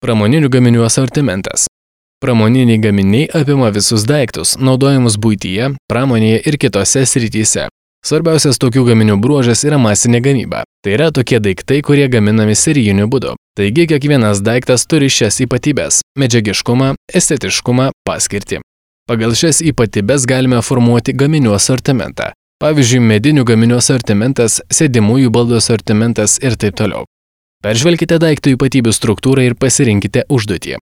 Pramoninių gaminių asortimentas. Pramoniniai gaminiai apima visus daiktus, naudojamus buityje, pramonėje ir kitose srityse. Svarbiausias tokių gaminių bruožas yra masinė gamyba. Tai yra tokie daiktai, kurie gaminami serijiniu būdu. Taigi kiekvienas daiktas turi šias ypatybes – medžiagiškumą, estetiškumą, paskirtį. Pagal šias ypatybes galime formuoti gaminių asortimentą. Pavyzdžiui, medinių gaminių asortimentas, sėdimųjų baldų asortimentas ir taip toliau. Peržvelkite daiktų ypatybių struktūrą ir pasirinkite užduotį.